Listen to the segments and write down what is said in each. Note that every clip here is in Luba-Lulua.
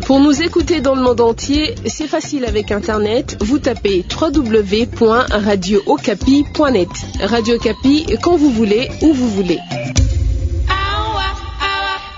Pour nous écouter dans le monde entier, c'est facile avec Internet. Vous tapez www.radiookapi.net. Radio Okapi, quand vous voulez, où vous voulez.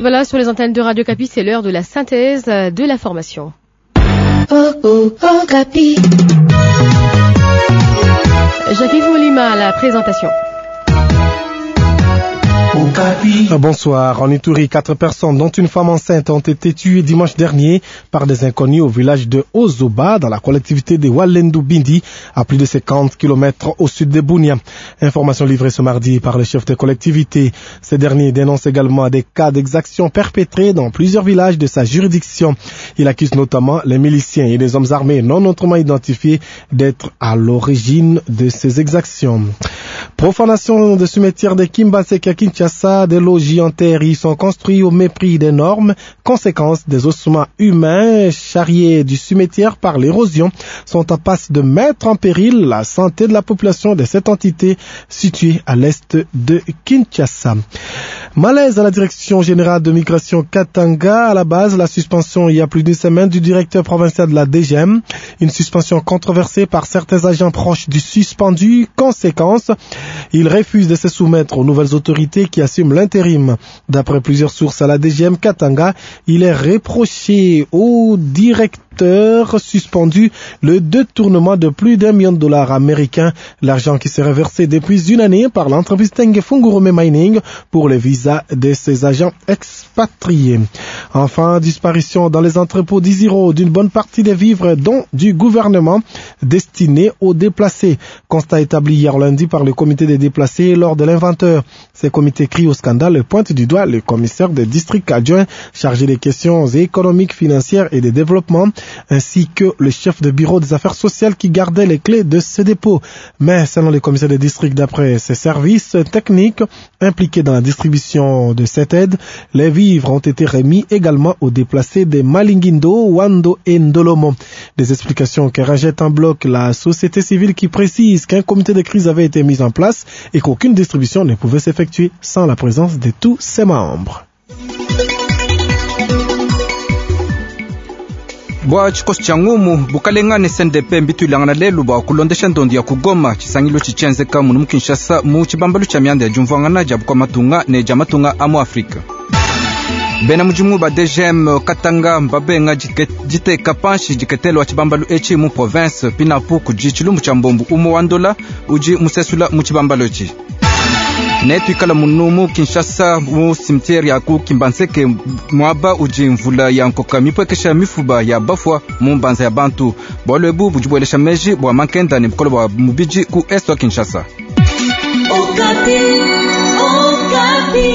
Voilà, sur les antennes de Radio Okapi, c'est l'heure de la synthèse de l'information. Jacques Molima à la présentation. Bonsoir. En Ituri, 4 personnes, dont une femme enceinte, ont été tuées dimanche dernier par des inconnus au village de Ozoba, dans la collectivité de Walendu Bindi, à plus de 50 km au sud de Bunia. Information livrée ce mardi par le chef de collectivité. Ces derniers dénoncent également des cas d'exactions perpétrés dans plusieurs villages de sa juridiction. Il accuse notamment les miliciens et les hommes armés non autrement identifiés d'être à l'origine de ces exactions. Profanation de cimetière de Kimbaseke à Kinshasa, des logis en terre y sont construits au mépris des normes. Conséquence, des ossements humains charriés du cimetière par l'érosion sont en passe de mettre en péril la santé de la population de cette entité située à l'est de Kinshasa. Malaise à la direction générale de migration Katanga. À la base, la suspension il y a plus d'une semaine du directeur provincial de la DGM. Une suspension controversée par certains agents proches du suspendu. Conséquence, il refuse de se soumettre aux nouvelles autorités qui assument l'intérim. D'après plusieurs sources à la DGM Katanga, il est reproché au directeur suspendu le détournement de plus d'1 million de dollars américains, l'argent qui serait versé depuis une année par l'entreprise Tenge Fungurume Mining pour les visas de ses agents expatriés. Enfin, disparition dans les entrepôts d'Isiro d'une bonne partie des vivres dont du gouvernement destinés aux déplacés. Constat établi hier lundi par le comité des déplacés lors de l'inventaire. Ces comités crient au scandale et pointent du doigt le commissaire de district adjoint chargé des questions économiques, financières et de développement, ainsi que le chef de bureau des affaires sociales qui gardait les clés de ce dépôt. Mais selon les commissaires de district, d'après ses services techniques impliqués dans la distribution de cette aide, les vivres ont été remis également aux déplacés des Malingindo, Wando et Ndolomo. Des explications que rejette en bloc la société civile qui précise qu'un comité de crise avait été mis en place et qu'aucune distribution ne pouvait s'effectuer sans la présence de tous ses membres. Bua tshikoso tshia ngumu bukalenga ne CNDP mbituilangana lelu bua kulondesha ndondo ya kugoma tshisangilu tshitshienzeka munu mu Kinshasa mu tshibambalu tshia mianda ya diumvuangana dia bukua matunga ne dia matunga a mu Afrika. Bena mudimu ba DGM Katanga mbabenga diteka panshi diketelo wa tshibambalu etshi mu province pinapu kudi tshilumbu tshia mbombu umue wa ndola udi musesula mu tshibambalu etshi. Ne tuikala munu mu Kinshasa mu cimetière ya ku Kimbanseke muaba udi mvula ya nkoka mipuekesha mifuba ya bafua mu mbanza ya bantu. Bualu ebu budi buelesha meji bua mankenda ne bukole bua mubidi ku est wa Kinshasa. Okapi, Okapi.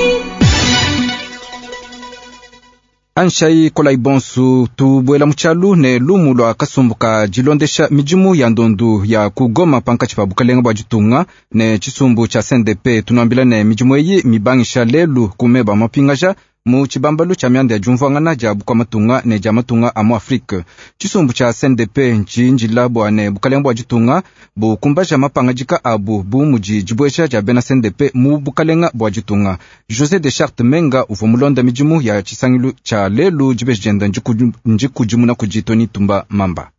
Anshai kolai bonsu tubuela mu tshialu ne lumu lua kasumbu ka dilondesha midimu ya ndondu ya kugoma pankatshi pa bukalenga bua ditunga ne tshisumbu tshia CNDP. Tunuambila ne midimu eyi mibangisha lelu ku meba mapingaja mu tshibambalu tshia mianda ya diumvuangana dia bukua matunga ne dia matunga a mu Afrike. Tshisumbu tshia CNDP ntshindila bua ne bukalenga bua ditunga bukumbaja mapangadika abu bu mudi dibuesha dia bena CNDP mu bukalenga bua ditunga. José de Charte Menga uvua mulonda midimu ya tshisangilu tshia lelu dibeji dienda ndikudimuna kudi Tony Tumba Mamba.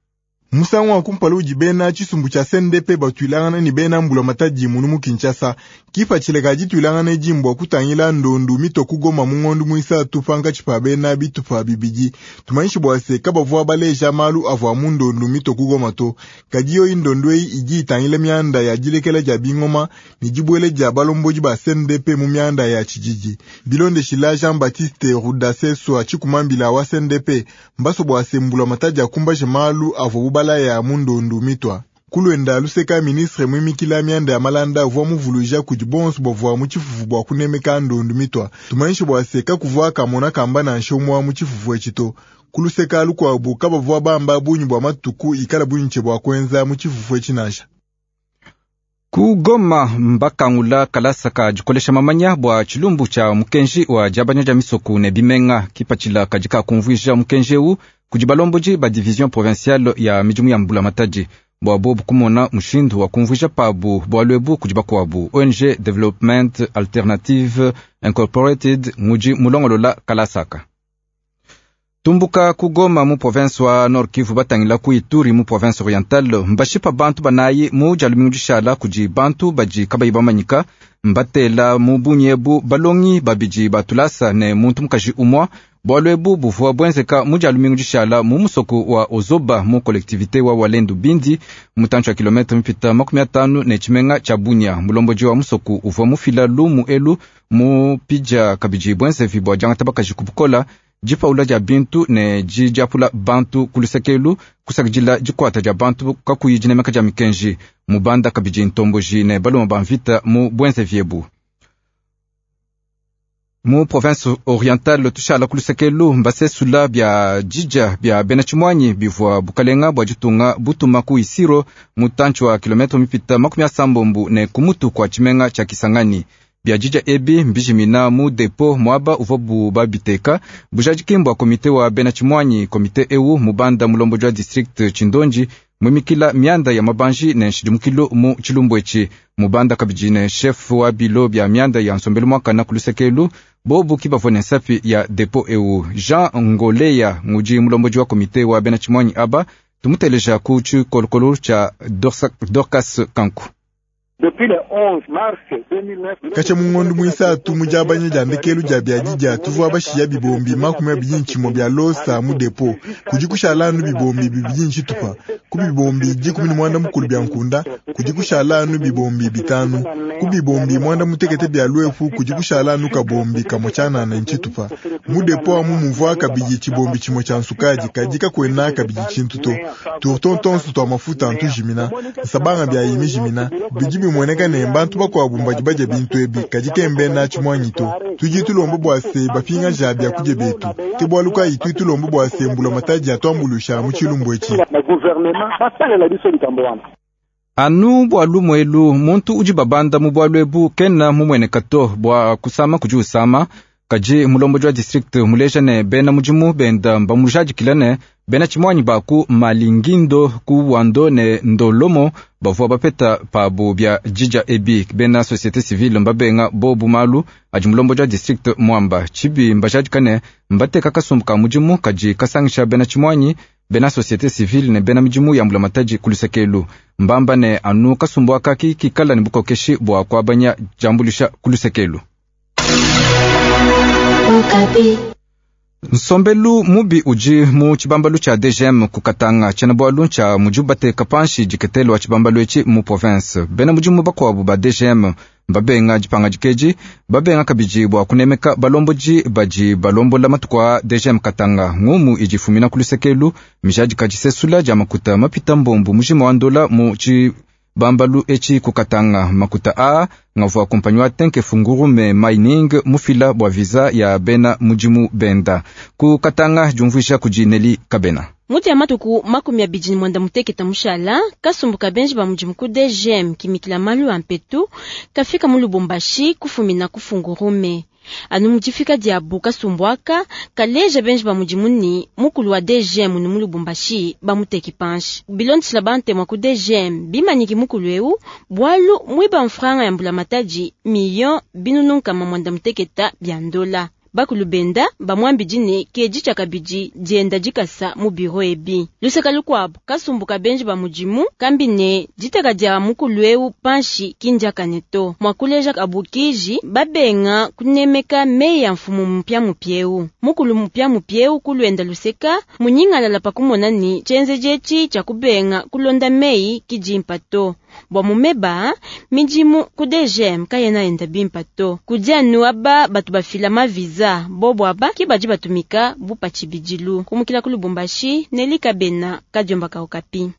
Musangu wa kumpala udi bena tshisumbu tshia CNDP batuilangana ne bena mbula matadi munu mu Kinshasa. Kipatshila dituilangana edi mbua kutangila ndondu mito kugoma mu ngondu muisatu pankatshi pa bena bitupa bibidi. Tumanyishi bua se kabavua baleja malu avua mu ndondu mito kugoma to. Kadi yoyi ndondu eyi idi itangila mianda ya dilekela dia bingoma ne dibuele dia balombodi ba CNDP mu mianda ya tshididi. Bilondeshila Jean-Baptiste Rudaseswa tshikumambila wa CNDP mbaso bua se mbula matadi akumbaje malu avua bubala ya mundondu mitwa. Kulwenda luseka ministre mwimikila mianda ya malanda uvua muvuluija kudi bonso bavua mu tshifufu bua kunemeka ndondu mitwa. Tumanyishe bua se kakuvua kamona kamba nansha umue mu tshifufu etshi to. Kuluseka lukuabu kabavua bamba bungi bua matuku ikala bungi bua kuenza mu tshifufu etshi nansha. Ku Goma mbakangula kalasa ka dikolesha mamanya bua tshilumbu tshia mukenji wa diabanya dia misoku ne bimenga. Kipatshila kadi kakumvuija mukenji ewu kudi balombodi ba division provinciale ya midimu ya mbula matadi bua bobu kumona mushindu wa kumvuija pabu bualu ebu kudi bakuabu. ONG Development Alternative Incorporated ngudi mulongolola kalasaka. Tumbuka ku Goma mu province wa Nord Kivu batangila ku Ituri mu province orientale mbashipa bantu banayi mu dia lumingu dishala kudi bantu badi kabayi bamanyika mbatela mu bunyebu balongi babidi ba tulasa ne muntu mukaji umua. Bualu ebu buvua buenzeka mu dia lumingu dishala mu musoko wa Ozoba mu collectivité wa Walendu Bindi mutantshi wa kilometre mipita 50 ne tshimenga tshia Bunia. Mulombodi wa musoko uvua mufila lumu elu mu pidja kabidi buenzevi bua diangata bakaji ku bukola dipaula dia bintu ne didiapula bantu ku lusekelu kusakidila dikwata dia bantu kakuyi dinemeka dia mikenji mubanda kabidi ntomboji ne baluma ba mvita mu buenzevi ebu. Mu province orientale tushala ku lusekelu mbasesula bia didja bia bena tshimuanyi bivua bukalenga bua ditunga butuma ku Isiro mutantshi wa kilometre mipita 80 ne kumutu kua tshimenga tshia Kisangani. Bia didja ebi mbijimina mu depo muaba uvua babiteka bujadiki mbua komite wa bena tshimuanyi. Komite ewu mubanda mulombodi wa district Tshindonji mwimikila mianda ya mabanji ne nshidimukilu mu tshilumbu etshi mubanda kabidi ne chef wa bilo bia mianda ya nsombelu mwakana ku lusekelu bobu kibavua ne nsapi ya depo ewu. Jean Ngoleya ngudi mulombodi wa komite wa bena tshimuanyi aba tumuteleja ku tshikolokolo tshia Dorcas Kanku. Kacha mungondo mwisatu mujabanya dia ndekelu dia bia tuvua bashiya bibombi 21 bya losa mu depo kudi kushala anu bibombi bibidi tshitupa ku bibombi 19 bya nkunda kudi kushala anu bibombi 5 ku bibombi 96 bya lwefu kudi kushala anu kabombi kamwe chanana nchitupa mu depo amu muvua kabidi chibombi chimwe cha nsukaji kadi kakwena kabidi chintu to turtontonsu twa mafuta antujimina nsabanga bya yimijimina bidi bimweneka ne bantu bakwabu mbadi badya bintu ebi kadi kembe na tshimwanyi to tudi tulomba bua se bapinga ja bya kudya betu ke bwalu kayi tudi tulomba bua se mbula matadi atwambulusha mu tshilumbu etshi. Anu bua lumu elu muntu udi babanda mu bwalu ebu kena mumueneka to bua kusama kudi usama kadi mulombodi wa district muleja ne bena mudimu benda mbamujadikila ne bena tshimuanyi baku malingindo ku wando ne ndolomo bavua bapeta pabu bia didja ebi. Bena société civile mbabenga bobu malu adi mulombodi wa district mwamba tshibi mbajadika ne mbateka kasumbu ka mudimu kadi kasangisha bena tshimuanyi bena société civile ne bena midimu ya mbulamatadi ku lusekelu mbamba ne anu kasumbu akaki kikala ne bukokeshi bua kuabanya diambulusha ku lusekelu. Nsombelu mubi udi mu tshibambalu tshia DGM ku Katanga tshiena bwalu tshia mudibu bateka panshi diketelo wa tshibambalu etshi mu province. Bena mudimu bakwabu ba DGM babenga dipanga dikeji babenga kabidi bua kunemeka balombodi badi balombola matuku a DGM Katanga ngumu idi ifumina ku lusekelu mijadika disesula dia makuta mapita mbombu mujima wa ndola mu tshibambalu etshi ku Katanga. Makuta a ngavua kompanyi wa Tenke Fungurume Mining mufila bua visa ya bena mudimu benda ku Katanga diumvuisha kudi Neli Kabena. Muti ya matuku 28 mushala kasumbu kabenji ba mudimu ku DGM kimikila malu a mpetu kafika mu Lubumbashi kufumina ku Fungurume. Anu mudifika diabu kasumbu aka kaleja benji ba mudimu ni mukulu wa DGM ni mu Lubumbashi bamuteki panshi bilondishila bantemwa ku DGM bimanyiki mukulu eu bwalu mwiba mfranga ya mbula matadi million binunu nkama 96 bya ndola. Bakulu benda bamwambi ne keji tshakabidi dienda dikasa mu biro ebi. Luseka lukwabo kasumbu kabenji ba mudimu kambi ne diteka dia mukulu eu panshi kindiakane to mwakuleja abukiji babenga kunemeka meyi ya mfumu mupya mupyeu. Mukulu mupya mupyeu kulwenda luseka munyingalala pakumona ni tshienzeji etshi tshia kubenga kulonda meyi kidimpa to bwa mumeba midimu ku DGM kayena enda bimpa to kudianu aba batu bafila maviza bobo aba ki badi batumika bupa tshibidilu kumukila ku Lubumbashi Neli Kabena kadiomba ka Okapi.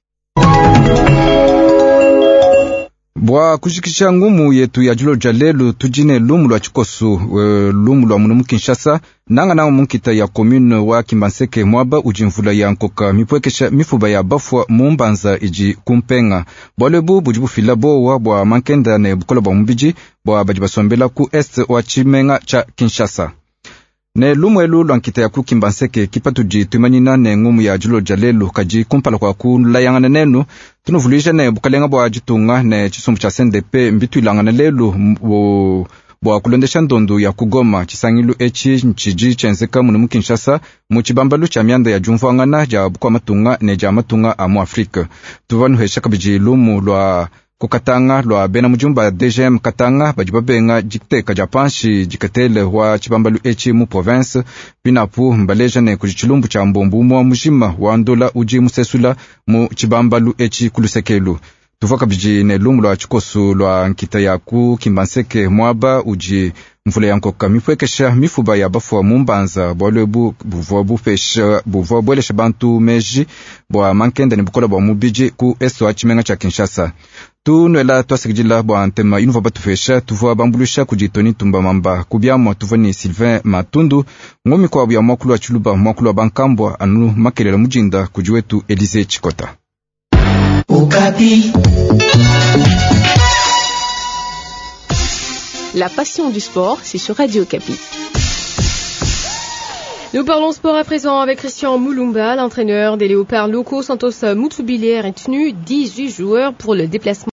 Bwa kujikisha ngumu yetu ya julo ja lelu tujine lumu lwa tshikosu lumu lwa munu mu Kinshasa nanga nanga munkita ya commune wa Kimbanseke mwaba udi mvula ya nkoka mipwekesha mifuba ya bafwa mu mbanza idi kumpenga bwalu ebu budi bufila bowa bwa mankenda ne bukola bwa mubidi bwa badi basombela ku est wa tshimenga tsha Kinshasa. Ne lumu elu lwa nkita ya ku Kimbanseke kipatudi tuimanyina ne ngumu ya julo ja lelu kadi kumpala kwa kulayangana nenu tunuvuluija ne bukalenga bua ditunga ne tshisumbu tshia CNDP mbituilangana lelu Bua kulondesha ndondu ya ku Goma, tshisangilu etshi ntshidi tshienzeka munu mu Kinshasa mu tshibambalu tshia mianda ya diumvuangana dia bukua matunga ne dia matunga a mu Afrike. Tuvua nuhesha kabidi lumu lua ku Katanga lua bena mudimu ba DGM Katanga badi babenga diteka dia panshi diketele wa tshibambalu etshi mu province. Pinapu mbaleja ne kudi tshilumbu tshia mbombu umua mujima wa ndola udi musesula mu tshibambalu etshi ku lusekelu. Tuvua kabidi ne lumu lua tshikosu lua nkita ya ku Kimbanseke muaba udi mvula ya nkoka mipuekesha mifuba ya bafua mu mbanza. Bualu ebu buvua bupesha buvua buelesha bantu meji bua mankenda ne bukola bua mubidi ku est wa tshimenga tshia Kinshasa. Tunuela tuasakidila bua ntema inuvua batupesha. Tuvua bambuluisha kudi Tony Tumba Mamba ku biamua, tuvua ne Sylvain Matundu ngomi kwabu ya mwakulu wa Tshiluba, mwakulu wa bankambua anu makelela mujinda kudi wetu Elise Chikota. Okapi. La passion du sport, c'est sur Radio Okapi. Nous parlons sport à présent avec Christian Moulumba, l'entraîneur des Léopards locaux. Santos Moutoubili a retenu 18 joueurs pour le déplacement.